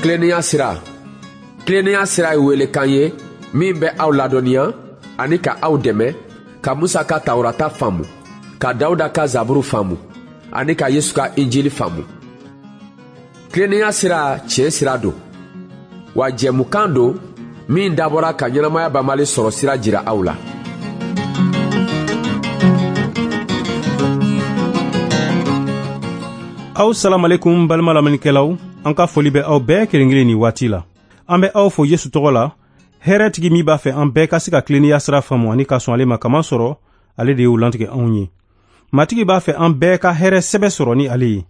Tilennenya sira. Tilennenya sira ye welekan ye min bɛ aw ladɔnniya ani ka aw dɛmɛ ka Musa ka Tawurata faamu, ka Dawuda ka Zaburu faamu ani ka Yesu ka Injili faamu. Tilennenya sira tiɲɛ sira don, wa jɛmukan don min dabɔra ka ɲɛnamaya banbali sɔrɔ sira jira aw la. Aw salamalekum balima lamɛnnikɛlaw, an ka foli bɛ aw bɛɛ kelen kelen nin waati la. An bɛ aw fo Yesu tɔgɔ la, hɛrɛtigi min b'a fɛ an bɛɛ ka se ka tilennenya sira faamu ani ka sɔn ale ma, kamasɔrɔ ale de y'o lantigɛ anw ye. Matigi b'a fɛ an bɛɛ ka hɛrɛ sɛbɛ sɔrɔ ni ale ye.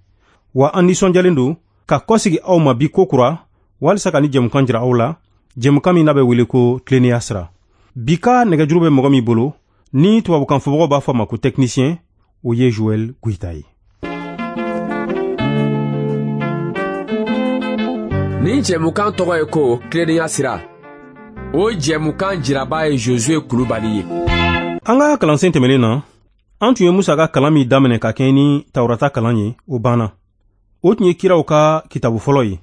Wa an nisɔndiyalen don ka kɔsegi aw ma bi kokura walisa ka ni jɛmukan jira aw la, jɛmukan min n'a bɛ wele ko tilennenya sira. Bi ka nɛgɛjuru bɛ mɔgɔ min bolo, ni tubabukan fɔbagaw b'a fɔ a ma ko technicien, o ye Joël Goïta ye. Nin jɛmukan tɔgɔ ye ko tilennenya sira. O jɛmukan jiraba ye Josué Kulubali ye. An ka kalansen tɛmɛnen na, an tun ye Musa ka kalan min daminɛ ka kɛɲɛ ni Tawurata kalan ye, o banna. O tun ye kiraw ka kitabu fɔlɔ ye.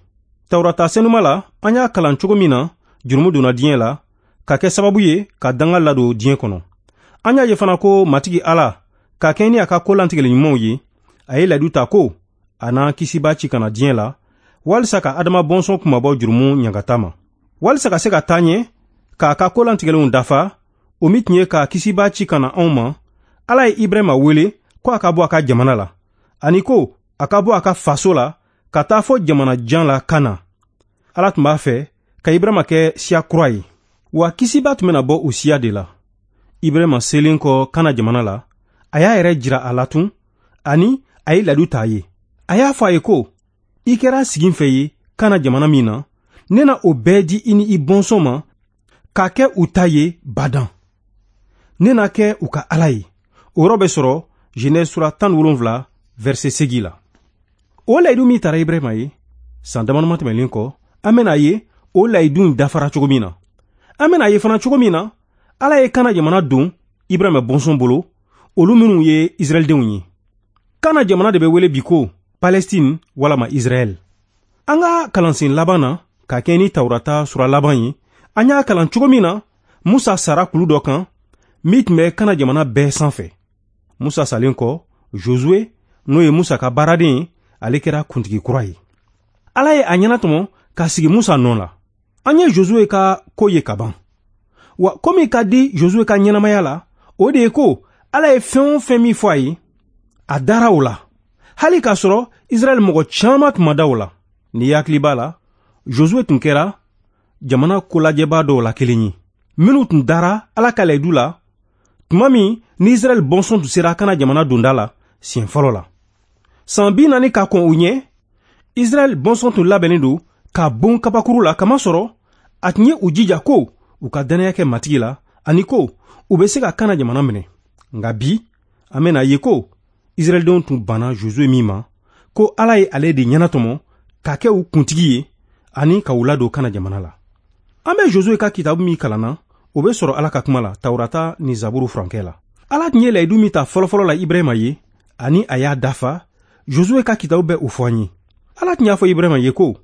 Tawurata senuma la, an y'a kalan cogo min na, jurumu donna diɲɛ la, ka kɛ sababu ye ka danga ladon diɲɛ kɔnɔ. An y'a ye fana ko Matigi Ala, ka kɛɲɛ ni a ka ko lantigɛli ɲumanw ye, a ye layidu ta ko a n'an kisiba ci ka na diɲɛ la, walisa ka Adama bɔnsɔn kunmabɔ jurumu ɲangata ma. Walisa ka se ka taa ɲɛ, k'a ka ko lantigɛlenw dafa, o min tun ye ka kisiba ci ka na anw ma, Ala ye Ibrahima wele ko a ka bɔ a ka jamana la, ani ko a ka bɔ a ka faso la ka taa fɔ jamana jan la Kana. Ala tun b'a fɛ ka Ibrahima kɛ siya kura ye, wa kisiba tun bɛna bɔ o siya de la. Ibrahima selen kɔ Kana jamana la, a y'a yɛrɛ jira a la tun, ani a ye layidu ta a ye. A y'a fɔ a ye ko, i kɛra siginfɛ ye Kana jamana min na, ne na o bɛɛ di i ni i bɔnsɔn ma k'a kɛ u ta ye badan. Ne na kɛ u ka Ala ye. O yɔrɔ bɛ sɔrɔ Genèse sura 17 verset 8 la. O layidu min tara Ibrahima ye, san damadama tɛmɛnen kɔ, an bɛna ye o layidu in dafara cogo min na. An bɛna ye fana cogo min na, Ala ye Kana jamana don Ibrahima bɔnsɔn bolo, olu minnu ye Israɛldenw ye. Kana jamana de bɛ wele bi ko Palestine walama Israɛl. An ka kalansen laban na, ka kɛ ni Tawurata sura laban ye, an y'a kalan cogo min na, Musa sara kulu dɔ kan min tun bɛ Kana jamana bɛɛ sanfɛ. Musa salen kɔ, Josué, n'o ye Musa ka baaraden ye, ale kɛra kuntigi kura ye. Ala ye a ɲɛnatɔmɔ ka sigi Musa nɔ la. An ye Josué ka ko ye ka ban. Wa ko min ka di Josué ka ɲɛnamaya la, o de ye ko Ala ye fɛn o fɛn min fɔ a ye, a dara o la. Hali k'a sɔrɔ Israɛl mɔgɔ caman tun ma da o la. N'i hakili b'a la, Josué tun kɛra jamana kolajɛbaa dɔw la kelen ye, minnu tun dara Ala ka layidu la tuma min ni Israɛl bɔnsɔn tun sera Kana jamana donda la siɲɛ fɔlɔ la. San 40 ka kɔn o ɲɛ, Israɛl bɔnsɔn tun labɛnnen don ka bon kabakuru la, kamasɔrɔ a tun ye u jija ko u ka dannaya kɛ Matigi la ani ko u bɛ se ka Kana jamana minɛ. Nka bi, an bɛna ye ko Israɛldenw tun banna Josué min ma, ko Ala ye ale de ɲɛnatɔmɔ ka kɛ u kuntigi ye ani ka u ladon Kana jamana la. An bɛ Josué ka kitabu min kalanna, o bɛ sɔrɔ Ala ka kuma la, Tawurata ni Zaburu furankɛ la. Ala tun ye layidu min ta fɔlɔfɔlɔ la Ibrahima ye, ani a y'a dafa, Josué ka kitabu bɛ o fɔ an ye. Ala tun y'a fɔ Ibrahima ye ko,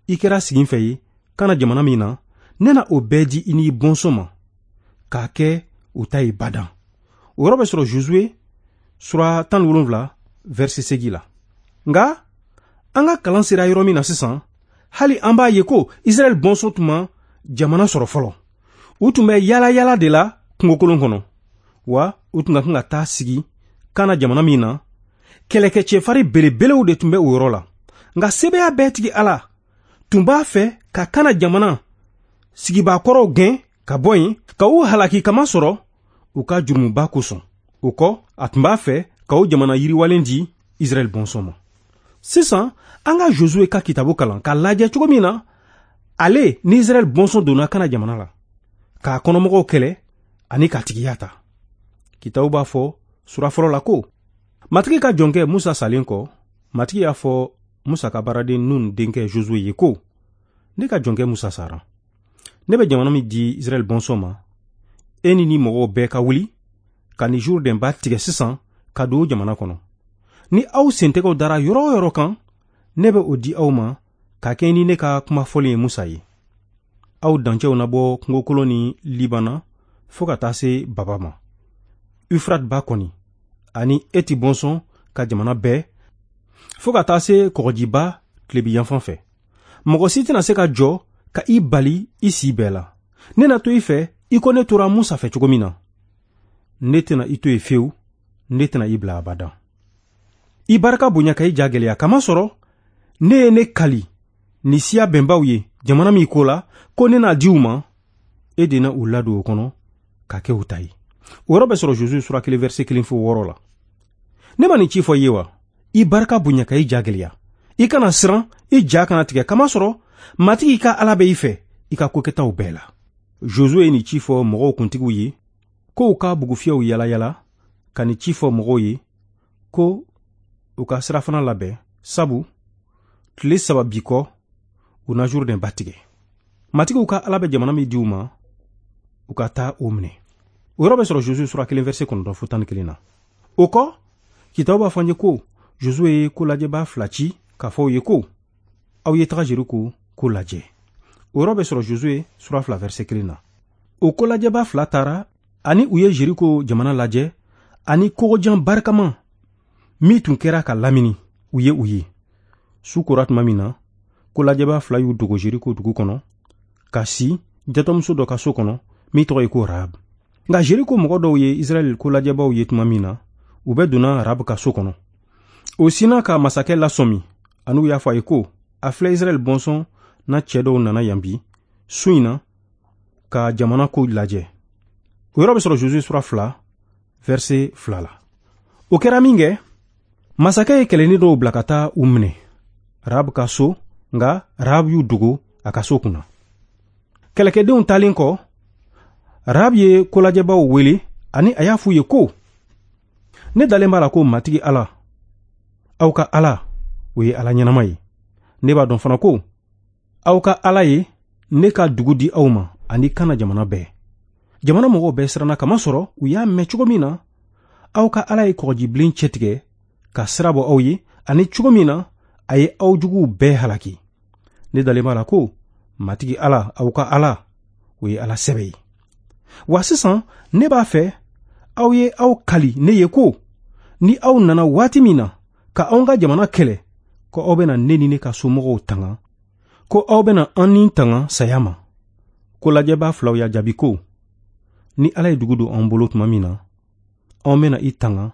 i kɛra siginfɛ ye Kana jamana min na, ne na o bɛɛ di i ni i bɔnsɔn ma, k'a kɛ u ta ye badan. O yɔrɔ bɛ sɔrɔ Josué sura 17 verset 8 la. Nka an ka kalan sera yɔrɔ min na sisan, hali an b'a ye ko Israɛl bɔnsɔn tun ma jamana sɔrɔ fɔlɔ. U tun bɛ yala yala de la kungokolon kɔnɔ, wa u tun ka kan ka taa sigi Kana jamana min na, kɛlɛkɛcɛfari belebelew de tun bɛ o yɔrɔ la. Nka sebaaya bɛɛ tigi Ala tun b'a fɛ ka Kana jamana sigibaakɔrɔw gɛn ka bɔ yen, ka u halaki kamasɔrɔ u ka jurumuba kosɔn. O kɔ, a tun b'a fɛ ka o jamana yiriwalen di Israɛl bɔnsɔn ma. Sisan, an ka Josué ka kitabu kalan k'a lajɛ cogo min na ale ni Israɛl bɔnsɔn donna Kana jamana la, k'a kɔnɔmɔgɔw kɛlɛ ani k'a tigiya ta. Kitabu b'a fɔ sura fɔlɔ la ko, Matigi ka jɔnkɛ Musa salen kɔ, Matigi y'a fɔ Musa ka baaraden Nun denkɛ Josué ye ko, ne ka jɔnkɛ Musa sara. Ne bɛ jamana min di Israɛl bɔnsɔn ma, e ni ni mɔgɔw bɛɛ ka wuli ka ni Jourdain ba tigɛ sisan ka don o jamana kɔnɔ. Ni aw sentɛgɛw dara yɔrɔ o yɔrɔ kan, ne bɛ o di aw ma ka kɛɲɛ ni ne ka kuma fɔlen ye Musa ye. Aw dancɛw na bɔ kungokolon ni Libana fo ka taa se Baba ma. Ufrat ba kɔni ani Eti bɔnsɔn ka jamana bɛɛ fo ka taa se kɔgɔjiba tilebi yanfan fɛ. Mɔgɔ si tɛna se ka jɔ ka i bali i si bɛɛ la. Ne na to i fɛ i ko ne tora Musa fɛ cogo min na. Ne tɛna i to yen fewu, ne tɛna i bila abada. I barika bonya ka i ja gɛlɛya, kamasɔrɔ ne ye ne kali ni siya bɛnbaw ye jamana min ko la ko ne n'a di u ma, e de na u ladon o kɔnɔ ka kɛ u ta ye. O yɔrɔ bɛ sɔrɔ Josué sura 1 verset 1 fo 6 la. Ne ma nin ci fɔ i ye wa? I barika bonya ka i ja gɛlɛya. I kana siran, i ja kana tigɛ, kamasɔrɔ Matigi ka Ala bɛ i fɛ i ka kokɛtaw bɛɛ la. Josué ye nin ci fɔ mɔgɔw kuntigiw ye ko u ka bugufiyɛw yalayala ka nin ci fɔ mɔgɔw ye ko u ka sirafana labɛn, sabu tile 3 bi kɔ u na Jourdain ba tigɛ. Matigiw ka Ala bɛ jamana min di u ma, u ka taa o minɛ. O yɔrɔ bɛ sɔrɔ Josué sura 1 verset 9 fo 11 na. O kɔ, kitabu b'a fɔ an ye ko Josué ye kolajɛbaa 2 ci k'a fɔ u ye ko aw ye taga Jeriko ko lajɛ. O yɔrɔ bɛ sɔrɔ Josué sura 2 verset 1 na. O kolajɛbaa 2 taara ani u ye Jeriko jamana lajɛ ani kogojan barikama min tun kɛra ka lamini u ye u ye. Su kora tuma min na, kolajɛbaa 2 y'u dogo Jeriko dugu kɔnɔ ka si jatɔmuso dɔ ka so kɔnɔ min tɔgɔ ye ko Rahab. Nka Jeriko mɔgɔ dɔw ye Israɛl kolajɛbaw ye tuma min na, u bɛɛ donna Rahab ka so kɔnɔ. O sinna ka masakɛ lasɔmi ani u y'a fɔ a ye ko a filɛ Israɛl bɔnsɔn na cɛ dɔw nana yan bi su in na ka jamana ko lajɛ. O yɔrɔ bɛ sɔrɔ Josué sura 2 verset 2 la. O kɛra min kɛ, masakɛ ye kɛlɛnin dɔw bila ka taa u minɛ Rahab ka so, nka Rahab y'u dogo a ka so kunna. Kɛlɛkɛdenw taalen kɔ, Rahab ye kolajɛbaw wele ani a y'a f'u ye ko ne dalen b'a la ko Matigi Ala, aw ka Ala, o ye Ala ɲɛnama ye. Ne b'a dɔn fana ko aw ka Ala ye ne ka dugu di aw ma ani Kana jamana bɛɛ. Jamana mɔgɔw bɛɛ siranna kamasɔrɔ u y'a mɛn cogo min na aw ka Ala ye kɔgɔjibilen cɛtigɛ ka sira bɔ aw ye ani cogo min na a ye aw juguw bɛɛ halaki. Ne dalen b'a la ko Matigi Ala, aw ka Ala, o ye Ala sɛbɛ ye. Wa sisan ne b'a fɛ aw ye aw kali ne ye ko ni aw nana waati min na ka anw ka jamana kɛlɛ, ko aw bɛna ne ni ne ka somɔgɔw tanga, ko aw bɛna an ni tanga saya ma. Ko lajɛbaa 2 y'a jaabi ko ni Ala ye dugu don an bolo tuma min na, anw bɛna i tanga,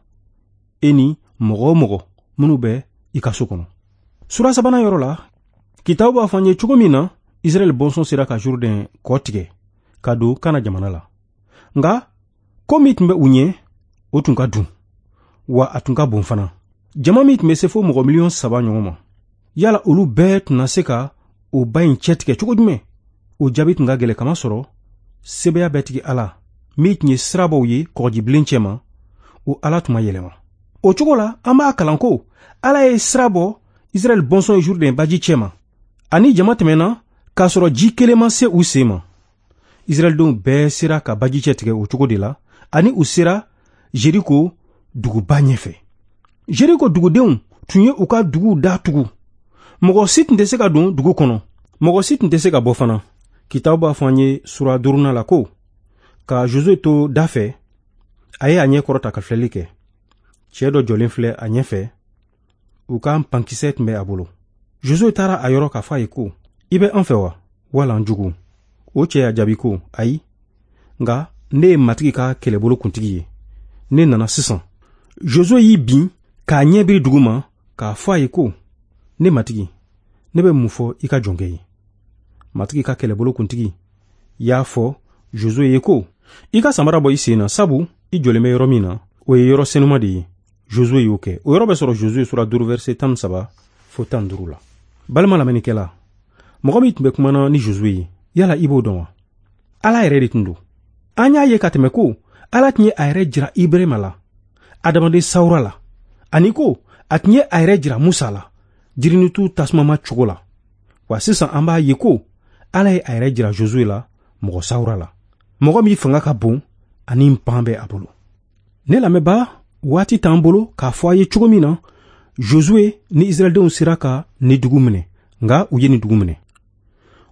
e ni mɔgɔ o mɔgɔ minnu bɛ i ka so kɔnɔ. Sura 3nan yɔrɔ la, kitabu b'a fɔ an ye cogo min na Israɛl bɔnsɔn sera ka Jourdain kɔ tigɛ ka don Kana jamana la. Nka ko min tun bɛ u ɲɛ, o tun ka dun, wa a tun ka bon fana. Jama min tun bɛ se fo mɔgɔ 3 miliyɔn ɲɔgɔn ma, yala olu bɛɛ tun na se ka o ba in cɛtigɛ cogo jumɛn? O jaabi tun ka gɛlɛn, kamasɔrɔ sebaaya bɛɛ tigi Ala min tun ye sirabaw ye kɔgɔjibilen cɛma, o Ala tun ma yɛlɛma. O cogo la, an b'a kalan ko Ala ye sira bɔ Israɛl bɔnsɔn ye Jourdain baji cɛma, ani jama tɛmɛna k'a sɔrɔ ji kelen ma se u sen ma. Israɛldenw bɛɛ sera ka baji cɛ tigɛ o cogo de la, ani u sera Jeriko duguba ɲɛfɛ. Jeriko dugudenw tun ye u ka duguw da tugu. Mɔgɔ si tun tɛ se ka don dugu kɔnɔ, mɔgɔ si tun tɛ se ka bɔ fana. Kitabu b'a fɔ an ye sura 5nan la ko ka Josué to da fɛ, a ye a ɲɛ kɔrɔta ka filɛli kɛ. Cɛ dɔ jɔlen filɛ a ɲɛfɛ, u ka pankisɛ tun bɛ a bolo. Josué taara a yɔrɔ k'a fɔ a ye ko i bɛ an fɛ wa, wala an jugu? O cɛ y'a jaabi ko ayi, nka ne ye Matigi ka kɛlɛbolo kuntigi ye, ne nana sisan. Josué y'i bin k'a ɲɛ biri dugu ma k'a fɔ a ye ko ne Matigi, ne bɛ mun fɔ i ka jɔnkɛ ye? Matigi ka kɛlɛbolo kuntigi y'a fɔ Josué ye ko i ka samara bɔ i sen na, sabu i jɔlen bɛ yɔrɔ min na, o ye yɔrɔ senuma de ye. Josué y'o kɛ. O yɔrɔ bɛ sɔrɔ Josué sura 5 verset 13 fo 15 la. Balima lamɛnnikɛla, mɔgɔ min tun bɛ kumana ni Josué ye, yala i b'o dɔn wa? Ala yɛrɛ de tun don. An y'a ye ka tɛmɛ ko Ala tun ye a yɛrɛ jira Ibrahima la, adamaden sawura la, ani ko a tun ye a yɛrɛ jira Musa la, jirinitu tasumama cogo la. Wa sisan an b'a ye ko Ala ye a yɛrɛ jira Josué la, mɔgɔ sawura la, mɔgɔ min fanga ka bon ani npan bɛ a bolo. Ne lamɛnbaa, waati t'an bolo k'a fɔ a ye cogo min na Josué ni Israɛldenw sera ka ni dugu minɛ, Nka u ye nin dugu minɛ.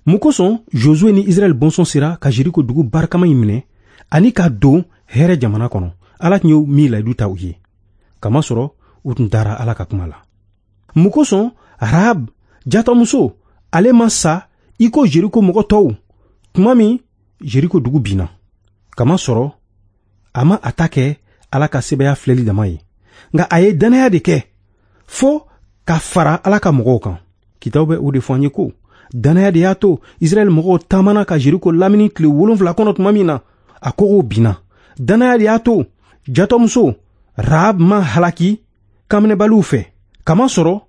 Mun kosɔn Josue ni Israɛl bɔnsɔn sera ka Jeriko dugu barikama in minɛ ani ka don hɛrɛ jamana kɔnɔ, Ala tun ye min layidu ta u ye? Kamasɔrɔ u tun dara Ala ka kuma la. Mun kosɔn Rahab jatɔmuso ale ma sa i ko Jeriko mɔgɔ tɔw tuma min Jeriko dugu binna? Kamasɔrɔ a ma a ta kɛ Ala ka sɛbɛya filɛli dama ye, nka a ye dannaya de kɛ fo ka fara Ala ka mɔgɔw kan. Kitabu bɛ o de fɔ an ye ko dannaya de y'a to Israɛl mɔgɔw taamana ka Jeriko lamini tile 7 kɔnɔ tuma min na, a kogow binna. Dannaya de y'a to jatɔmuso Rahab ma halaki kanminɛbaliw fɛ, kamasɔrɔ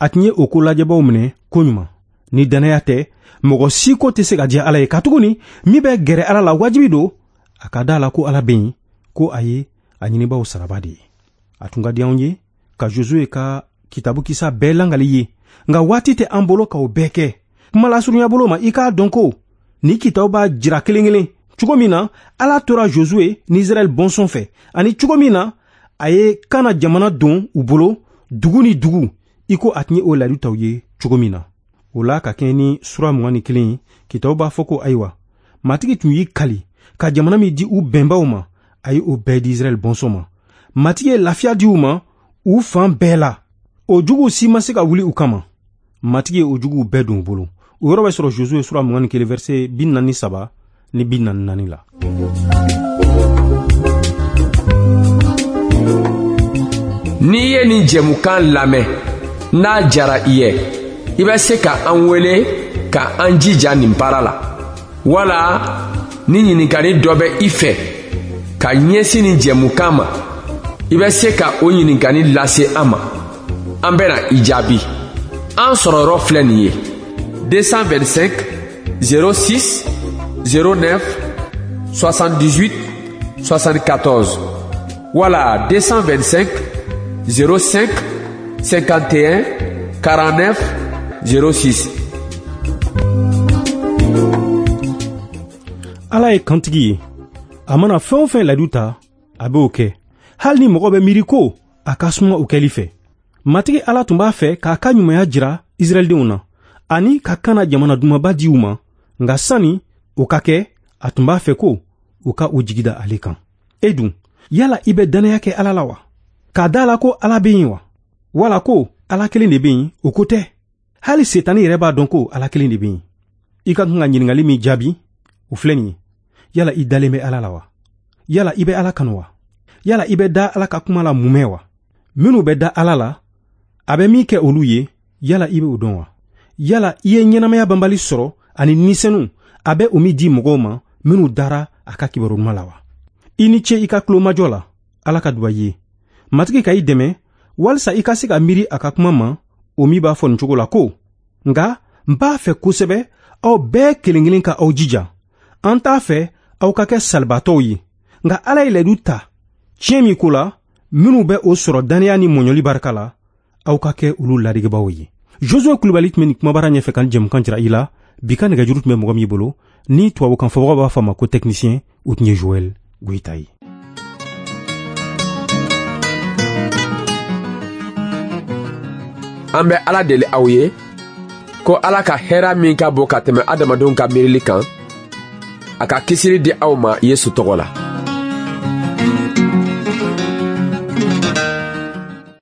a tun ye o ko lajɛbaw minɛ koɲuman. Ni dannaya tɛ, mɔgɔ si ko tɛ se ka diya Ala ye, katuguni min bɛ gɛrɛ Ala la wajibi don a ka da la ko Ala bɛ yen, ko a ye a ɲinibaw saraba de ye. A tun ka di anw ye ka Josue ka kitabu kisa bɛɛ langali ye, nka waati tɛ an bolo k'o bɛɛ kɛ. Kuma lasurunya bolo ma, i k'a dɔn ko ni kitabu b'a jira kelen kelen cogo min na Ala tora Josue ni Israɛl bɔnsɔn fɛ, ani cogo min na a ye Kana jamana don u bolo dugu ni dugu, i ko a tun ye o layidu ta u ye cogo min na. O la, ka kɛɲɛ ni sura 21 ye, kitabu b'a fɔ ko ayiwa, Matigi tun y'i kali ka jamana min di u bɛnbaw ma, a ye o bɛɛ di Israɛl bɔnsɔn ma. Matigi ye lafiya di u ma u fan bɛɛ la. O juguw si ma se ka wuli u kama. Matigi ye o juguw bɛɛ don u bolo. O yɔrɔ bɛ sɔrɔ Josue sura 21 verset 43 ni 44 la. N'i ye nin jɛmukan lamɛn, n'a jara i ye, i bɛ se ka an wele ka an jija nin baara la, wala ni ɲininkali dɔ bɛ i fɛ ka ɲɛsin nin jɛmukan ma, i bɛ se ka o ɲininkali lase an ma, an bɛna i jaabi. An sɔrɔ yɔrɔ filɛ nin ye: 225 06 09 78 74 wala 225 05 51 49 06. Ala ye kantigi ye. A mana fɛn o fɛn layidu ta, a b'o kɛ, hali ni mɔgɔ bɛ miiri ko a ka suma o kɛli fɛ. Matigi Ala tun b'a fɛ k'a ka ɲumanya jira Israɛldenw na ani ka Kana jamana dumanba di u ma, nka sani o ka kɛ, a tun b'a fɛ ko u ka u jigi da ale kan. E dun, yala i bɛ dannaya kɛ Ala la wa? K'a da la ko Ala bɛ yen wa? Wala ko Ala kelen de bɛ yen, o ko tɛ. Hali Setani yɛrɛ b'a dɔn ko Ala kelen de bɛ yen. I ka kan ka ɲininkali min jaabi, o filɛ nin ye: yala i dalen bɛ Ala la wa? Yala i bɛ Ala kanu wa? Yala i bɛ da Ala ka kuma la mumɛ wa? Minnu bɛ da Ala la, a bɛ min kɛ olu ye, yala i bɛ o dɔn wa? Yala i ye ɲɛnamaya banbali sɔrɔ ani nisɛnu a bɛ o min di mɔgɔw ma minnu dara a ka kibaru ɲuman la wa? I ni ce i ka tulomajɔ la. Ala ka duba i ye. Matigi ka i dɛmɛ walisa i ka se ka miiri a ka kuma ma, o min b'a fɔ nin cogo la ko: nka n b'a fɛ kosɛbɛ aw bɛɛ kelen kelen ka aw jija. An t'a fɛ aw ka kɛ salibaatɔw ye, nka Ala ye layidu ta tiɲɛ min ko la, minnu bɛ o sɔrɔ dannaya ni mɔɲɔli barika la, aw ka kɛ olu ladegebaaw ye. Josue Kulibali tun bɛ nin kumabara ɲɛfɛ ka jɛmukan jira i la. Bi ka nɛgɛjuru tun bɛ mɔgɔ min bolo, ni tubabukan fɔbagaw b'a fɔ a ma ko technicien, o tun ye Joël Goyita ye. An bɛ Ala deli aw ye ko Ala ka hɛrɛ min ka bon ka tɛmɛ adamadenw ka miirili kan, a ka kisili di aw ma Yesu tɔgɔ la.